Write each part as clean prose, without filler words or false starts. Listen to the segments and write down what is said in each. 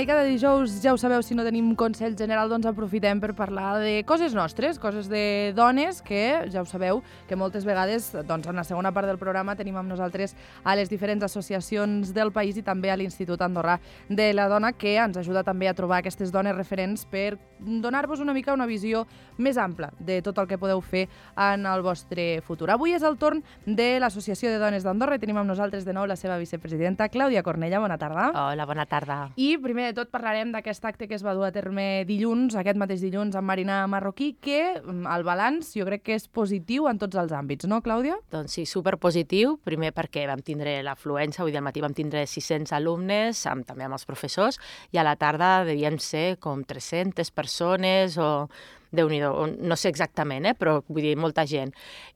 i cada dijous, ja ho sabeu, si no tenim consell general, doncs aprofitem per parlar de coses nostres, coses de dones, que ja ho sabeu, que moltes vegades, doncs en la segona part del programa tenim amb nosaltres a les diferents associacions del país i també a l'Institut Andorrà de la Dona, que ens ajuda també a trobar aquestes dones referents per donar-vos una mica una visió més ampla de tot el que podeu fer en el vostre futur. Avui és el torn de l'Associació de Dones d'Andorra i tenim amb nosaltres de nou la seva vicepresidenta, Clàudia Cornella. Bona tarda. Hola, bona tarda. I primer de tot parlarem d'aquest acte que es va dur a terme dilluns, aquest mateix dilluns, amb Marina Marroquí, que el balanç jo crec que és positiu en tots els àmbits, no, Clàudia? Doncs sí, superpositiu, primer perquè vam tindre l'afluència, avui al matí vam tindre 600 alumnes, també amb els professors, i a la tarda devien ser com 300 persones o... Déu-n'hi-do, no sé exactament, però vull dir, molta gent.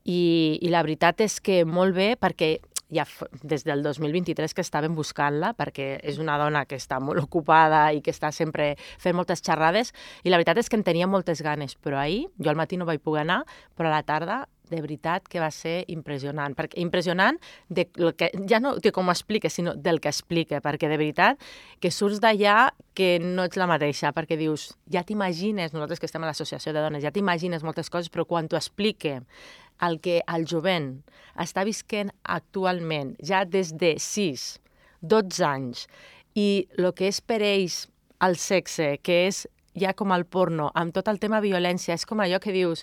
I la veritat és que molt bé, perquè ja des del 2023 que estàvem buscant-la, perquè és una dona que està molt ocupada i que està sempre fent moltes xerrades, i la veritat és que en tenia moltes ganes, però ahir, jo al matí no vaig poder anar, però a la tarda de veritat que va ser impressionant. Impressionant de que, ja no de com ho explica, sinó del que explica, perquè de veritat que surts d'allà que no ets la mateixa, perquè dius, ja t'imagines, nosaltres que estem a l'Associació de Dones, ja t'imagines moltes coses, però quan t'ho explique el que el jovent està visquent actualment, ja des de 6, 12 anys, i el que és per ells el sexe, que és ja com el porno, amb tot el tema violència, és com allò que dius,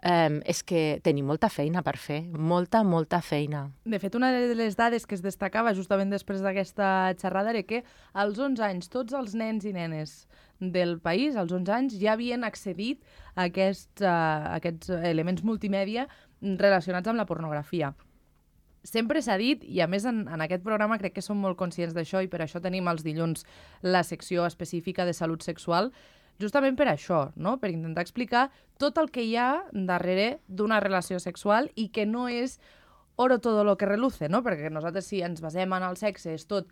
és que tenim molta feina per fer, molta feina. De fet, una de les dades que es destacava justament després d'aquesta xerrada era que als 11 anys tots els nens i nenes del país, als 11 anys, ja havien accedit a aquests elements multimèdia relacionats amb la pornografia. Sempre s'ha dit, i a més en aquest programa crec que som molt conscients d'això i per això tenim els dilluns la secció específica de salut sexual, justament per això, no? Per intentar explicar tot el que hi ha darrere d'una relació sexual i que no és oro todo lo que reluce, no? Perquè nosaltres si ens basem en el sexe és tot,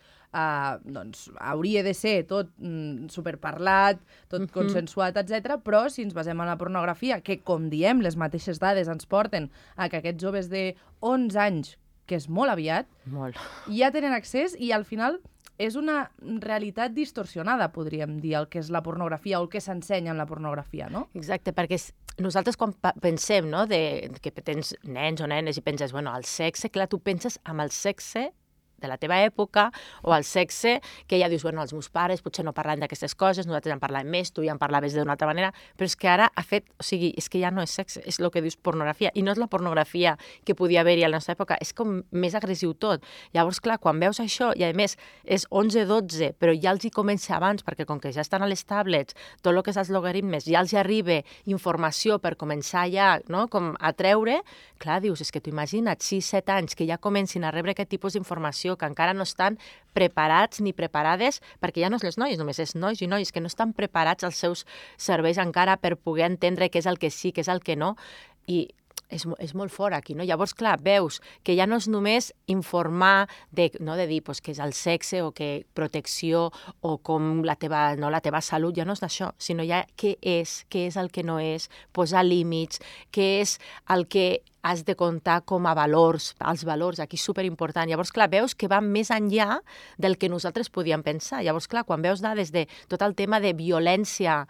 doncs hauria de ser tot superparlat, tot consensuat, etc. Però si ens basem en la pornografia, que com diem, les mateixes dades ens porten a que aquests joves de 11 anys, que és molt aviat, ja tenen accés i al final és una realitat distorsionada, podríem dir, el que és la pornografia o el que s'ensenya en la pornografia, no? Exacte, perquè nosaltres quan pensem, no, que tens nens o nenes i penses, bueno, el sexe, clar, tu penses amb el sexe de la teva època, o el sexe, que ja dius, bueno, els meus pares potser no parlen d'aquestes coses, nosaltres en parlàvem més, tu ja en parlaves d'una altra manera, però és que ara ha fet, o sigui, és que ja no és sexe, és el que dius pornografia, i no és la pornografia que podia haver-hi a la nostra època, és com més agressiu tot. Llavors, clar, quan veus això, i a més és 11-12, però ja els hi comença abans, perquè com que ja estan a les tablets, tot el que és els logaritmes, ja els hi arriba informació per començar ja, no?, com a treure, clar, dius, és que tu imagina't 6-7 anys que ja comencin a rebre aquest tipus d'informació, que encara no estan preparats ni preparades, perquè ja no és les noies, només és nois i nois, que no estan preparats els seus cervells encara per poder entendre què és el que sí, què és el que no, i és molt fort aquí, no? Llavors, clar, veus que ja no és només informar de dir què és el sexe o que protecció o com la teva salut, ja no és d'això, sinó ja què és el que no és, posar límits, què és el que has de comptar com a valors, els valors, aquí és superimportant. Llavors, clar, veus que va més enllà del que nosaltres podíem pensar. Llavors, clar, quan veus dades de tot el tema de violència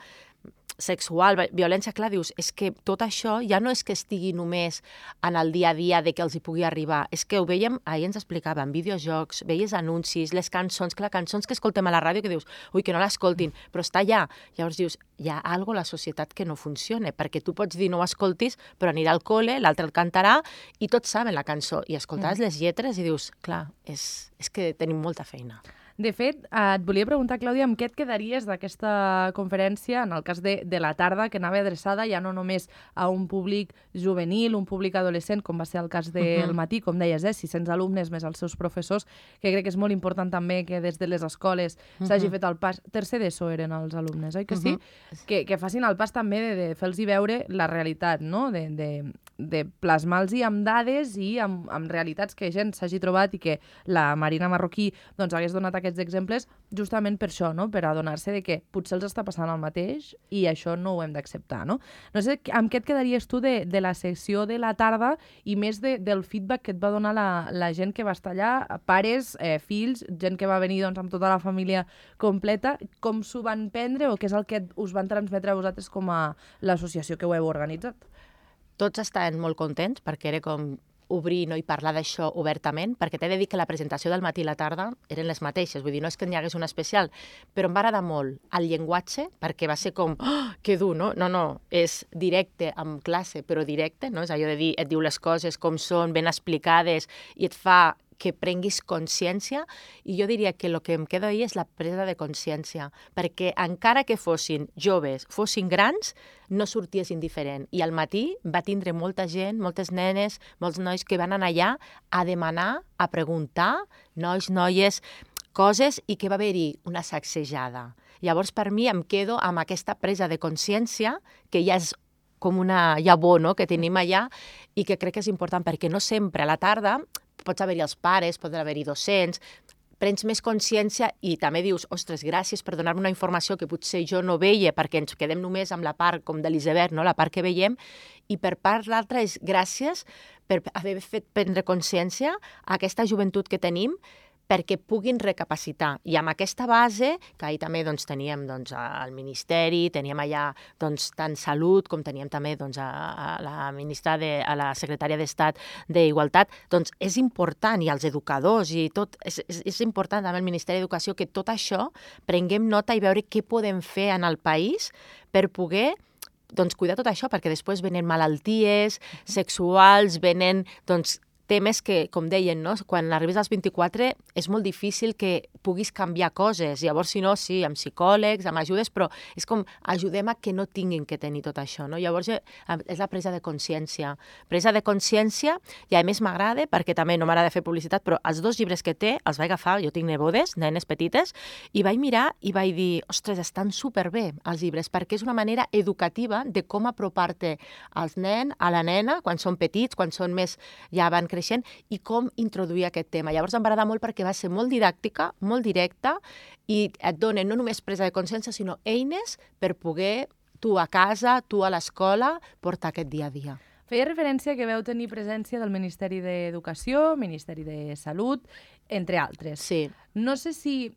sexual, violència, clar, dius, és que tot això ja no és que estigui només en el dia a dia de que els hi pugui arribar, és que ho veiem, ahir ens explicaven, videojocs, veies anuncis, les cançons, clar, cançons que escoltem a la ràdio que dius, ui, que no l'escoltin, però està allà. Llavors dius, hi ha alguna cosa a la societat que no funciona, perquè tu pots dir no ho escoltis, però anirà al col·le, l'altre el cantarà, i tots saben la cançó, i escoltaràs les lletres i dius, clar, és que tenim molta feina. De fet, et volia preguntar, Clàudia, amb què et quedaries d'aquesta conferència, en el cas de la tarda, que anava adreçada ja no només a un públic juvenil, un públic adolescent, com va ser el cas del matí, com deies, 600 alumnes més els seus professors, que crec que és molt important també que des de les escoles s'hagi fet el pas. Tercer d'ESO eren els alumnes, oi que sí? Que facin el pas també de fer-los veure la realitat, no? de plasmar-los amb dades i amb realitats que gent s'hagi trobat i que la Marina Marroquí doncs, hagués donat aquests exemples justament per això, no? Per adonar-se de que potser els està passant el mateix i això no ho hem d'acceptar. No sé amb què et quedaries tu de la sessió de la tarda i més del feedback que et va donar la gent que va estar allà, pares, fills, gent que va venir doncs, amb tota la família completa, com s'ho van prendre o què és el que us van transmetre a vosaltres com a l'associació que ho heu organitzat? Tots estaven molt contents perquè era com obrir i parlar d'això obertament, perquè t'he de dir que la presentació del matí i la tarda eren les mateixes, vull dir, no és que n'hi hagués una especial, però em va agradar molt el llenguatge, perquè va ser com, que dur, no? No, és directe, amb classe, però directe, no? És allò de dir, et diu les coses com són, ben explicades, i et fa que prenguis consciència, i jo diria que el que em queda ahir és la presa de consciència, perquè encara que fossin joves, fossin grans, no sorties indiferent. I al matí va tindre molta gent, moltes nenes, molts nois que van anar allà a demanar, a preguntar, nois, noies, coses, i que va haver-hi una sacsejada. Llavors, per mi, em quedo amb aquesta presa de consciència, que ja és com una llavor, no?, que tenim allà, i que crec que és important, perquè no sempre a la tarda pots haver-hi els pares, poden haver-hi docents, prens més consciència i també dius, ostres, gràcies per donar-me una informació que potser jo no veia perquè ens quedem només amb la part com de l'iceberg, no? La part que veiem, i per part l'altra és gràcies per haver fet prendre consciència a aquesta joventut que tenim perquè puguin recapacitar. I amb aquesta base, que ahir també doncs, teníem doncs, al Ministeri, teníem allà doncs, tant Salut com teníem també doncs, a la ministra, a la secretària d'Estat d'Igualtat, doncs és important, i els educadors, i tot, és important també el Ministeri d'Educació que tot això prenguem nota i veure què podem fer en el país per poder doncs, cuidar tot això, perquè després venen malalties sexuals, venen doncs, temes que, com deien, no? Quan arribes als 24 és molt difícil que puguis canviar coses. Llavors, si no, sí, amb psicòlegs, amb ajudes, però és com ajudem a que no tinguin que tenir tot això, no? Llavors, és la presa de consciència. Presa de consciència, i a més m'agrada, perquè també no m'agrada fer publicitat, però els 2 llibres que té els vaig agafar, jo tinc nebodes, nenes petites, i vaig mirar i vaig dir, ostres, estan superbé els llibres, perquè és una manera educativa de com apropar-te als nens, a la nena, quan són petits, quan són més, ja van creixent, i com introduir aquest tema. Llavors em va agradar molt perquè va ser molt didàctica, molt directa, i et donen no només presa de consciència, sinó eines per poder, tu a casa, tu a l'escola, portar aquest dia a dia. Feia referència que veu tenir presència del Ministeri d'Educació, Ministeri de Salut, entre altres. Sí. No sé si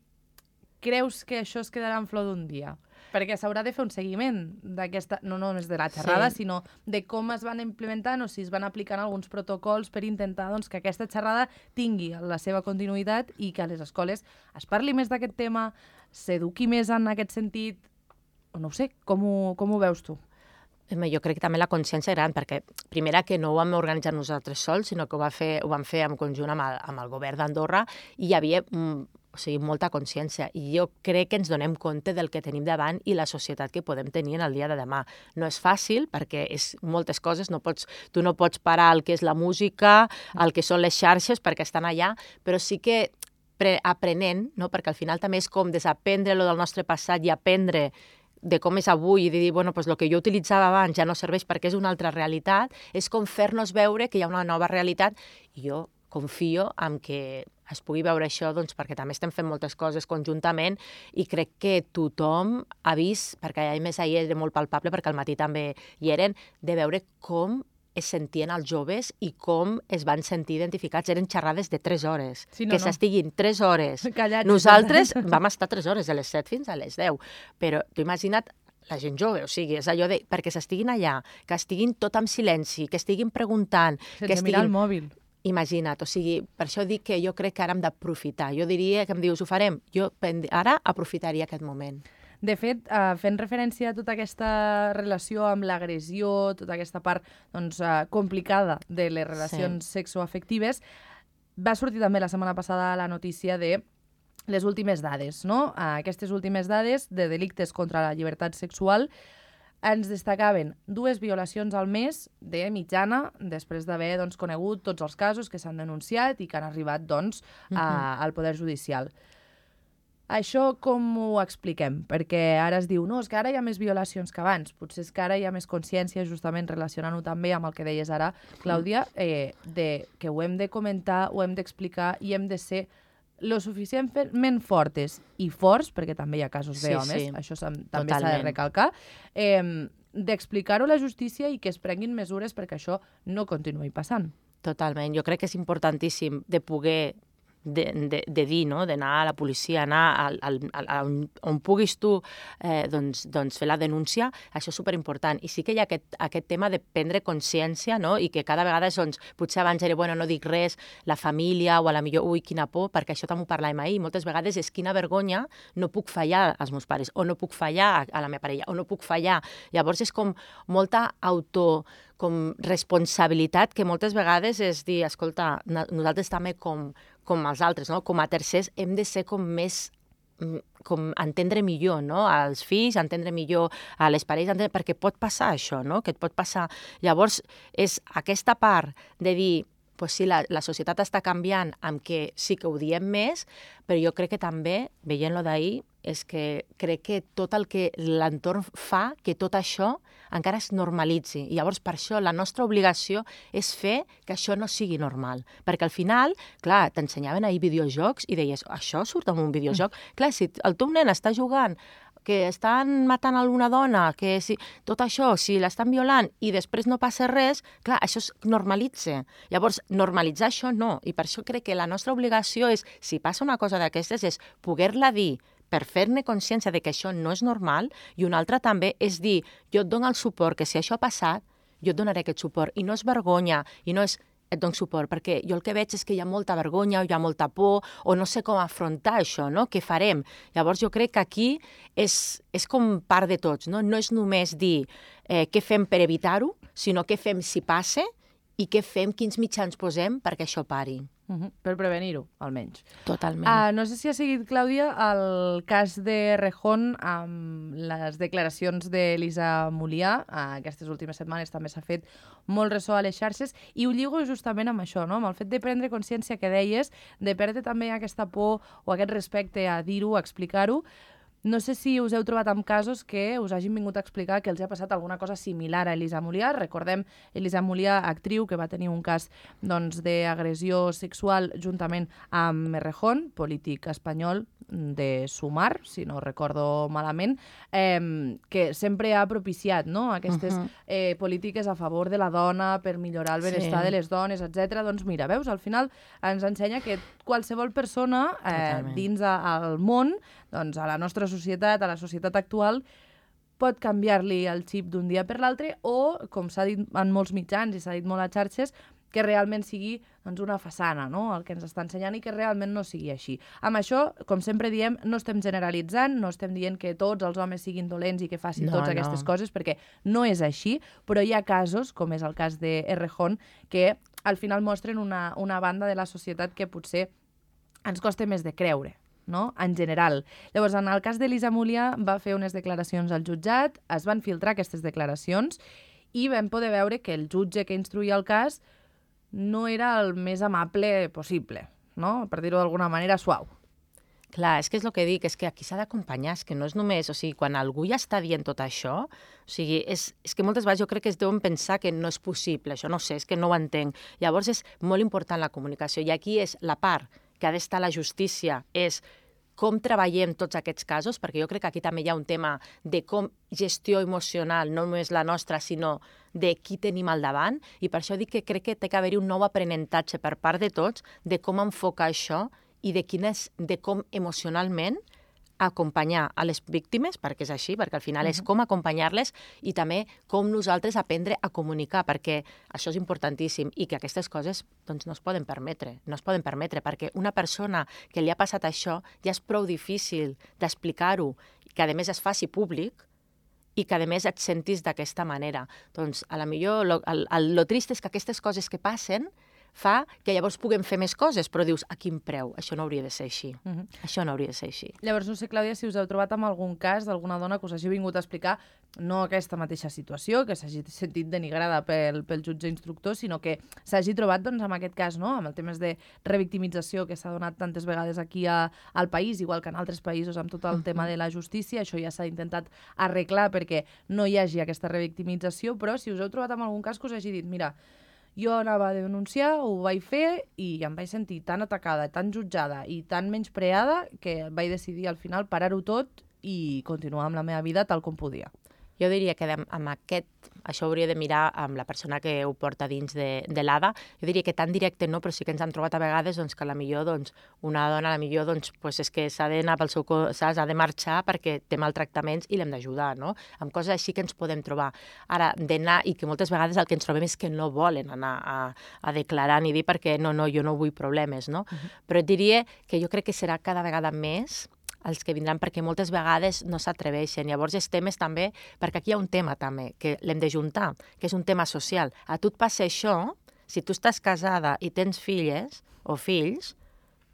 creus que això es quedarà en flor d'un dia, perquè s'haurà de fer un seguiment d'aquesta, no només de la xerrada, sí, sinó de com es van implementant o si es van aplicant alguns protocols per intentar doncs, que aquesta xerrada tingui la seva continuïtat i que a les escoles es parli més d'aquest tema, s'eduqui més en aquest sentit, no ho sé, com ho veus tu? Jo crec que també la consciència gran, perquè primera que no ho vam organitzar nosaltres sols, sinó que ho vam fer en conjunt amb el govern d'Andorra, i hi havia molta consciència, i jo crec que ens donem compte del que tenim davant i la societat que podem tenir en el dia de demà. No és fàcil, perquè és moltes coses, tu no pots parar el que és la música, el que són les xarxes, perquè estan allà, però sí que aprenent, no? Perquè al final també és com desaprendre lo del nostre passat i aprendre de com és avui i de dir, bueno, pues el que jo utilitzava abans ja no serveix perquè és una altra realitat, és com fer-nos veure que hi ha una nova realitat, i jo confio en que es pugui veure això, doncs, perquè també estem fent moltes coses conjuntament, i crec que tothom ha vist, perquè a més ahir era molt palpable, perquè al matí també hi eren, de veure com es sentien els joves i com es van sentir identificats. Eren xerrades de 3 hores. Sí, que s'estiguin 3 hores. Callats. Nosaltres vam estar 3 hores, de les 7 fins a les 10. Però tu imagina't la gent jove, o sigui, és allò de perquè s'estiguin allà, que estiguin tot en silenci, que estiguin preguntant... Sense mirar el mòbil. Imagina't, o sigui, per això dic que jo crec que ara hem d'aprofitar. Jo diria que em dius, ho farem. Jo ara aprofitaria aquest moment. De fet, fent referència a tota aquesta relació amb l'agressió, tota aquesta part doncs, complicada de les relacions sexoafectives, va sortir també la setmana passada la notícia de les últimes dades, no? Aquestes últimes dades de delictes contra la llibertat sexual ens destacaven 2 violacions al mes de mitjana, després d'haver doncs, conegut tots els casos que s'han denunciat i que han arribat doncs, al Poder Judicial. Això com ho expliquem? Perquè ara es diu, no, és que ara hi ha més violacions que abans. Potser és que ara hi ha més consciència, justament relacionant-ho també amb el que deies ara, Clàudia, de que ho hem de comentar, ho hem d'explicar i hem de ser lo suficientment fortes i forts, perquè també hi ha casos d'homes, això també s'ha de recalcar, d'explicar-ho a la justícia i que es prenguin mesures perquè això no continuï passant. Totalment. Jo crec que és importantíssim de poder de dir, no? D'anar a la policia, anar on puguis tu doncs fer la denúncia, això és superimportant. I sí que hi ha aquest tema de prendre consciència, no? I que cada vegada, doncs, potser abans era, bueno, no dic res, la família, o a la millor, ui, quina por, perquè això també ho parlàvem ahir, moltes vegades és quina vergonya, no puc fallar als meus pares, o no puc fallar a la meva parella, o no puc fallar. Llavors és com molta com responsabilitat que moltes vegades és dir, escolta, nosaltres també com els altres, no? Com a tercers, hem de ser com més, com entendre millor, no? Als fills, entendre millor a les parelles, perquè pot passar això, no? Que et pot passar. Llavors, és aquesta part de dir, pues sí, la societat està canviant amb que sí que ho diem més, però jo crec que també, veient-lo d'ahir, és que crec que tot el que l'entorn fa, que tot això encara es normalitzi. I llavors, per això, la nostra obligació és fer que això no sigui normal. Perquè al final, clar, t'ensenyaven ahir videojocs i deies, això surt en un videojoc? Clar, si el teu nen està jugant que estan matant alguna dona, que si, tot això, si l'estan violant i després no passa res, clar, això es normalitza. Llavors, normalitzar això no. I per això crec que la nostra obligació és, si passa una cosa d'aquestes, és poder-la dir per fer-ne consciència de que això no és normal, i una altra també és dir, jo et dono el suport, que si això ha passat, jo et donaré aquest suport. I no és vergonya, i no és et dono suport, perquè jo el que veig és que hi ha molta vergonya, o hi ha molta por, o no sé com afrontar això, no? Què farem? Llavors jo crec que aquí és com part de tots, no? No és només dir què fem per evitar-ho, sinó què fem si passa i què fem, quins mitjans posem perquè això pari. Per prevenir-ho, almenys. Totalment. No sé si ha seguit, Clàudia, el cas de Rejón amb les declaracions d'Elisa Mulià. Aquestes últimes setmanes també s'ha fet molt ressò a les xarxes i ho lligo justament amb això, no? Amb el fet de prendre consciència que deies, de perdre també aquesta por o aquest respecte a dir-ho, a explicar-ho. No sé si us heu trobat amb casos que us hagin vingut a explicar que els ha passat alguna cosa similar a Elisa Mulià. Recordem Elisa Mulià, actriu, que va tenir un cas d'agressió sexual juntament amb Errejón, polític espanyol de Sumar, si no recordo malament, que sempre ha propiciat, no? Aquestes polítiques a favor de la dona per millorar el benestar de les dones, etc. Doncs mira, veus, al final ens ensenya que qualsevol persona dins el món, doncs a la nostra societat, a la societat actual, pot canviar-li el xip d'un dia per l'altre o, com s'ha dit en molts mitjans i s'ha dit molt a xarxes, que realment sigui doncs, una façana, no? El que ens està ensenyant i que realment no sigui així. Amb això, com sempre diem, no estem generalitzant, no estem dient que tots els homes siguin dolents i que facin totes aquestes coses, perquè no és així, però hi ha casos, com és el cas d'Errejón, que al final mostren una banda de la societat que potser ens costa més de creure, no? En general. Llavors, en el cas d'Elisa Mulià va fer unes declaracions al jutjat, es van filtrar aquestes declaracions i vam poder veure que el jutge que instruïa el cas no era el més amable possible, no? Per dir-ho d'alguna manera, suau. Clar, és que és el que dic, és que aquí s'ha d'acompanyar, és que no és només, o sigui, quan algú ja està dient tot això, o sigui, és que moltes vegades jo crec que es deuen pensar que no és possible, això no sé, és que no ho entenc. Llavors és molt important la comunicació, i aquí és la part que ha d'estar la justícia, és com treballem tots aquests casos, perquè jo crec que aquí també hi ha un tema de com gestió emocional, no només la nostra, sinó de qui tenim al davant, i per això dic que crec que té que haver-hi un nou aprenentatge per part de tots de com enfocar això i de com emocionalment acompanyar a les víctimes, perquè és així, perquè al final és com acompanyar-les i també com nosaltres aprendre a comunicar, perquè això és importantíssim i que aquestes coses doncs, no es poden permetre, perquè una persona que li ha passat això ja és prou difícil d'explicar-ho, que a més es faci públic i que a més et sentis d'aquesta manera. Doncs a la millor, lo trist és que aquestes coses que passen fa que llavors puguem fer més coses, però dius, a quin preu? Això no hauria de ser així. Això no hauria de ser així. Llavors, no sé, Clàudia, si us heu trobat amb algun cas d'alguna dona que us hagi vingut a explicar no aquesta mateixa situació, que s'hagi sentit denigrada pel jutge instructor, sinó que s'hagi trobat doncs, amb aquest cas, no? Amb el temes de revictimització que s'ha donat tantes vegades aquí al país, igual que en altres països amb tot el tema de la justícia. Això ja s'ha intentat arreglar perquè no hi hagi aquesta revictimització, però si us heu trobat amb algun cas que us hagi dit, mira, jo anava a denunciar, ho vaig fer i em vaig sentir tan atacada, tan jutjada i tan menyspreada que vaig decidir al final parar-ho tot i continuar amb la meva vida tal com podia. Jo diria que amb això hauria de mirar amb la persona que ho porta dins de l'ADA. Jo diria que tan directe no, però sí que ens han trobat a vegades doncs, que a la millor una dona és que s'ha d'anar pel seu cos, s'ha de marxar perquè té maltractaments i l'hem d'ajudar, no? Amb coses així que ens podem trobar. Ara, d'anar, i que moltes vegades el que ens trobem és que no volen anar a declarar ni dir perquè no, jo no vull problemes, no? Però et diria que jo crec que serà cada vegada més els que vindran, perquè moltes vegades no s'atreveixen. Llavors, els temes també, perquè aquí hi ha un tema també, que l'hem de juntar, que és un tema social. A tu et passa això, si tu estàs casada i tens filles o fills,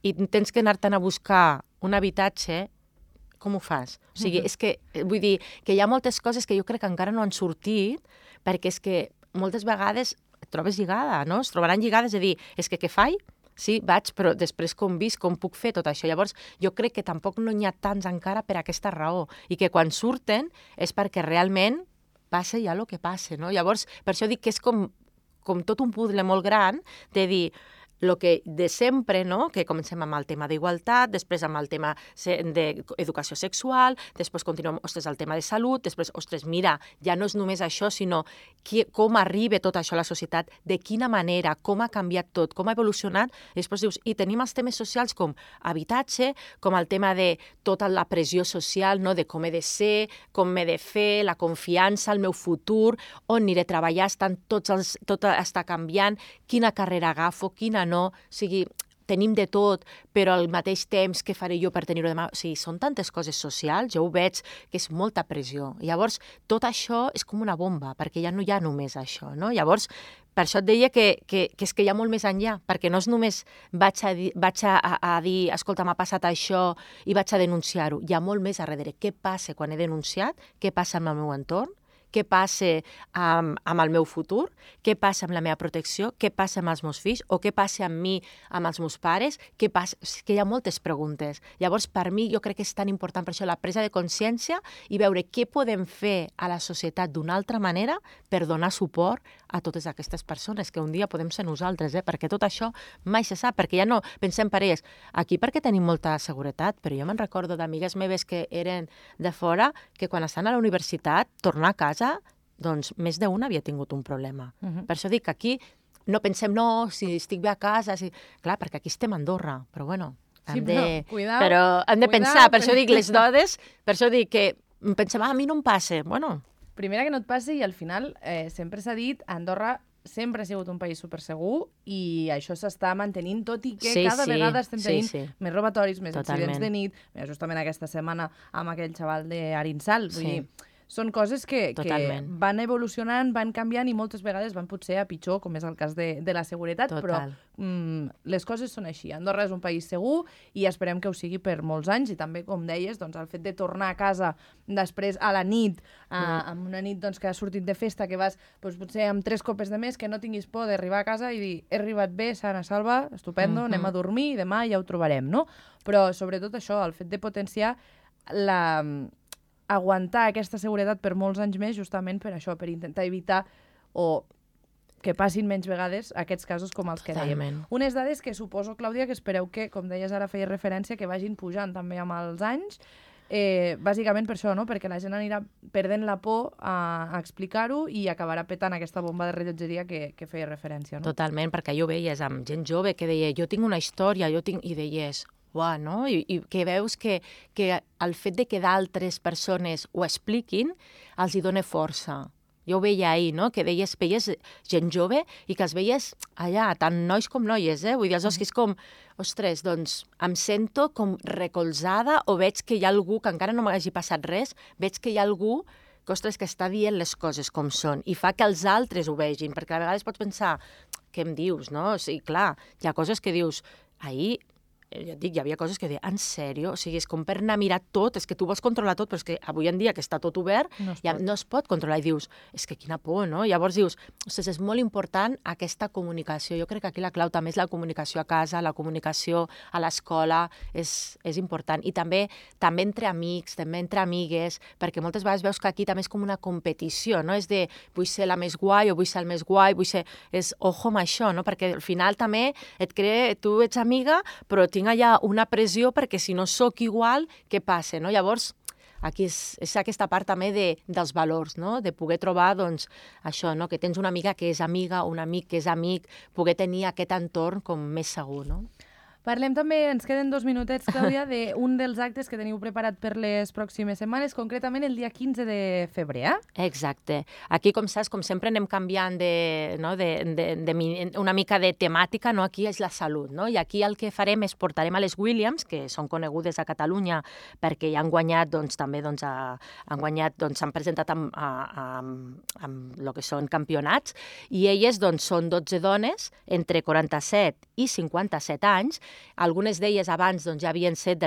i tens que anar-te'n a buscar un habitatge, com ho fas? O sigui, és que, vull dir, que hi ha moltes coses que jo crec que encara no han sortit, perquè és que moltes vegades et trobes lligada, no? Es trobaran lligades a dir, és que què faig? Sí, vaig, però després com visc, com puc fer tot això? Llavors, jo crec que tampoc no n'hi ha tants encara per aquesta raó, i que quan surten és perquè realment passa ja el que passa, no? Llavors, per això dic que és com tot un puzzle molt gran de dir, el que de sempre, no? Que comencem amb el tema d'igualtat, després amb el tema d'educació sexual, després continuem, el tema de salut, després, mira, ja no és només això, sinó com arriba tot això a la societat, de quina manera, com ha canviat tot, com ha evolucionat, i després dius, i tenim els temes socials com habitatge, com el tema de tota la pressió social, no? De com he de ser, com m'he de fer, la confiança, el meu futur, on aniré a treballar, tot està canviant, quina carrera agafo, quina no, o sigui, tenim de tot, però al mateix temps què faré jo per tenir-ho demà? O sigui, són tantes coses socials, jo ho veig que és molta pressió. Llavors, tot això és com una bomba, perquè ja no hi ha només això, no? Llavors, per això et deia que és que hi ha molt més enllà, perquè no és només vaig a dir, escolta, m'ha passat això i vaig a denunciar-ho. Hi ha molt més a darrere. Què passa quan he denunciat? Què passa amb el meu entorn? Què passa amb el meu futur, què passa amb la meva protecció, què passa amb els meus fills, o què passa amb mi, amb els meus pares, què passa... És que hi ha moltes preguntes. Llavors, per mi, jo crec que és tan important per això la presa de consciència i veure què podem fer a la societat d'una altra manera per donar suport a totes aquestes persones, que un dia podem ser nosaltres, perquè tot això mai se sap, perquè ja no pensem per ells. Aquí perquè tenim molta seguretat, però jo me'n recordo d'amigues meves que eren de fora, que quan estan a la universitat, tornar a casa, doncs més d'una havia tingut un problema. Per això dic que aquí no pensem, no, si estic bé a casa, clar, perquè aquí estem a Andorra, però bueno, hem de pensar, per això dic les dones, per això dic que pensem, a mi no em passa, bueno. Primera que no et passi, i al final sempre s'ha dit, Andorra sempre ha sigut un país supersegur i això s'està mantenint, tot i que cada vegada estem tenint més robatoris, més incidents de nit, justament aquesta setmana amb aquell xaval d'Arinsal, vull dir, són coses que van evolucionant, van canviant i moltes vegades van potser a pitjor, com és el cas de la seguretat, però les coses són així. Andorra és un país segur i esperem que ho sigui per molts anys i també, com deies, el fet de tornar a casa després a la nit, amb una nit que has sortit de festa, que vas potser amb 3 copes de més, que no tinguis por d'arribar a casa i dir he arribat bé, sana, salva, estupendo, anem a dormir i demà ja ho trobarem, no? Però sobretot això, el fet de potenciar aguantar aquesta seguretat per molts anys més justament per això, per intentar evitar o que passin menys vegades aquests casos com els que dèiem. Unes dades que suposo, Clàudia, que espereu que, com deies ara, feia referència, que vagin pujant també amb els anys, bàsicament per això, no? Perquè la gent anirà perdent la por a explicar-ho i acabarà petant aquesta bomba de rellotgeria que feia referència, no? Totalment, perquè jo veies amb gent jove que deia jo tinc una història, i deies uah, no? I que veus que el fet de que d'altres persones ho expliquin els hi dona força. Jo ho veia ahir, no? Que veies gent jove i que els veies allà, tant nois com noies, Vull dir, que és com, ostres, doncs em sento com recolzada o veig que hi ha algú que encara no m'hagi passat res, veig que hi ha algú que està dient les coses com són i fa que els altres ho vegin, perquè a vegades pots pensar què em dius, no? O sigui, clar, hi ha coses que dius, ahir, ja et dic, hi havia coses que deia, en sèrio? O sigui, és com per anar a mirar tot, és que tu vols controlar tot, però és que avui en dia que està tot obert, no es pot controlar, i dius, és que quina por, no? Llavors dius, ostres, és molt important aquesta comunicació. Jo crec que aquí la clau també és la comunicació a casa, la comunicació a l'escola, és important. I també entre amics, també entre amigues, perquè moltes vegades veus que aquí també és com una competició, no? És de, vull ser la més guai o vull ser el més guai, és ojo amb això, no? Perquè al final també et crea, tu ets amiga, però tinc allà una pressió perquè si no sóc igual, què passa, no? Llavors, aquí és aquesta part també dels valors, no? De poder trobar, doncs, això, no? Que tens una amiga que és amiga, un amic que és amic, poder tenir aquest entorn com més segur, no? Parlem també, ens queden 2 minutets, Clàudia, d'un dels actes que teniu preparat per les pròximes setmanes, concretament el dia 15 de febrer, eh? Exacte. Aquí, com saps, com sempre anem canviant una mica de temàtica, no? Aquí és la salut, no? I aquí el que farem és portarem a les Williams, que són conegudes a Catalunya perquè ja han guanyat, doncs, també, doncs, s'han presentat amb el que són campionats, i elles, doncs, són 12 dones entre 47 i 57 anys. Algunes d'elles abans doncs, ja havien set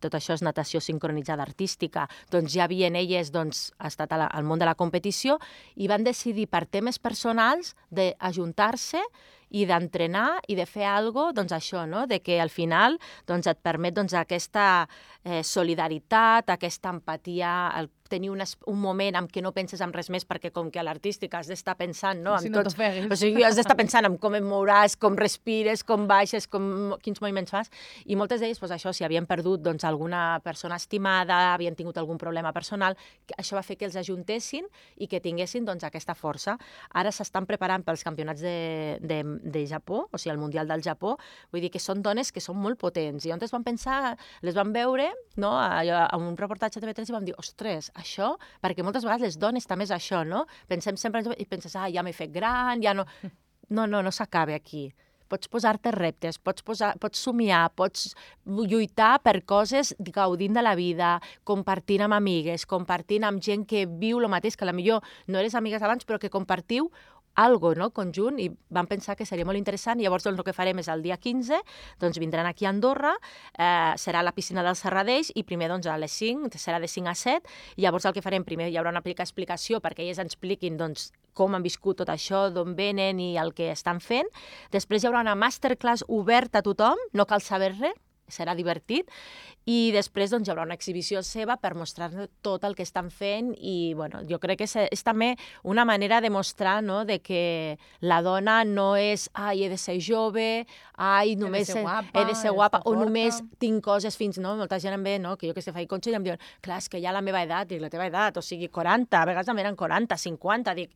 tot això és natació sincronitzada artística, doncs ja havien elles estat al món de la competició i van decidir per temes personals d'ajuntar-se i d'entrenar i de fer alguna cosa, doncs això, no? De que al final doncs, et permet aquesta solidaritat, aquesta empatia, tenir un moment en què no penses en res més, perquè com que a l'artística has d'estar pensant, no? Si no t'ofeguis. O sigui, has d'estar pensant en com et mouràs, com respires, com baixes, quins moviments fas, i moltes d'elles, doncs això, si havien perdut doncs, alguna persona estimada, havien tingut algun problema personal, això va fer que els ajuntessin i que tinguessin doncs, aquesta força. Ara s'estan preparant pels campionats de Japó, o sigui, el Mundial del Japó, vull dir que són dones que són molt potents, i on es van pensar, les van veure, no? A un reportatge de TV3 i vam dir, ostres, això, perquè moltes vegades les dones també és això, no? Pensem sempre i penses, ja m'he fet gran, ja no... No s'acaba aquí. Pots posar-te reptes, pots somiar, pots lluitar per coses gaudint de la vida, compartint amb amigues, compartint amb gent que viu el mateix, que potser no eres amigues abans, però que compartiu algo, no? Conjunt, i vam pensar que seria molt interessant, i llavors doncs, el que farem és el dia 15, doncs vindran aquí a Andorra, serà a la piscina del Serradeix, i primer doncs, a les 5, serà de 5 a 7, i llavors el que farem primer hi haurà una explicació perquè elles ens expliquin doncs, com han viscut tot això, d'on venen i el que estan fent. Després hi haurà una masterclass oberta a tothom, no cal saber res, serà divertit, i després doncs, hi haurà una exhibició seva per mostrar-nos tot el que estan fent, i bueno, jo crec que és també una manera de mostrar, no?, de que la dona no és he de ser jove, només he de ser guapa, o només tinc coses fins, no? Molta gent em ve, no?, que jo que sé, faig consell i em diuen, clar, és que ja la meva edat, dic, la teva edat, o sigui, 40, a vegades em venen 40, 50, dic,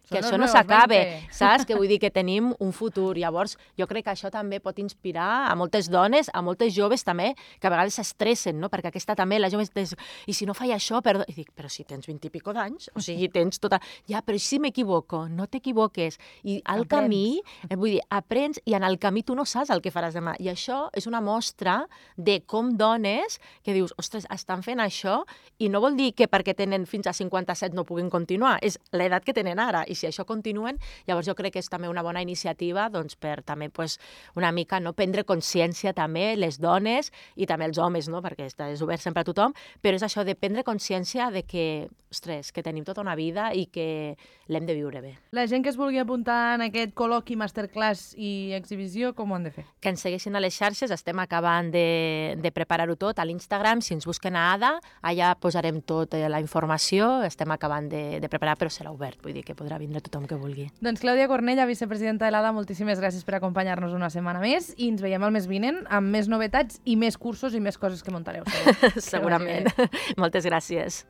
que això no s'acabe, saps? Que vull dir que tenim un futur. Llavors, jo crec que això també pot inspirar a moltes dones, a moltes joves també, que a vegades s'estressen, no? Perquè aquesta també, la jove, i si no faig això, perdó. I dic, però si tens 20 i pico d'anys, o sigui, tens tota... Ja, però si m'equivoco, no t'equivoques. I al camí, vull dir, aprens, i en el camí tu no saps el que faràs demà. I això és una mostra de com dones que dius, ostres, estan fent això, i no vol dir que perquè tenen fins a 57 no puguin continuar, és l'edat que tenen ara. I si això continuen, llavors jo crec que és també una bona iniciativa doncs, per també una mica prendre consciència també les dones i també els homes, no? Perquè és obert sempre a tothom, però és això de prendre consciència de que, ostres, que tenim tota una vida i que l'hem de viure bé. La gent que es vulgui apuntar en aquest col·loqui, masterclass i exhibició, com ho han de fer? Que ens segueixin a les xarxes, estem acabant de preparar-ho tot a l'Instagram, si ens busquen a Ada, allà posarem tota la informació, estem acabant de preparar, però serà obert, vull dir que podrà vindre tothom que vulgui. Doncs Clàudia Cornella, vicepresidenta de l'ADA, moltíssimes gràcies per acompanyar-nos una setmana més i ens veiem el mes vinent amb més novetats i més cursos i més coses que muntareu. Segurament. Moltes gràcies.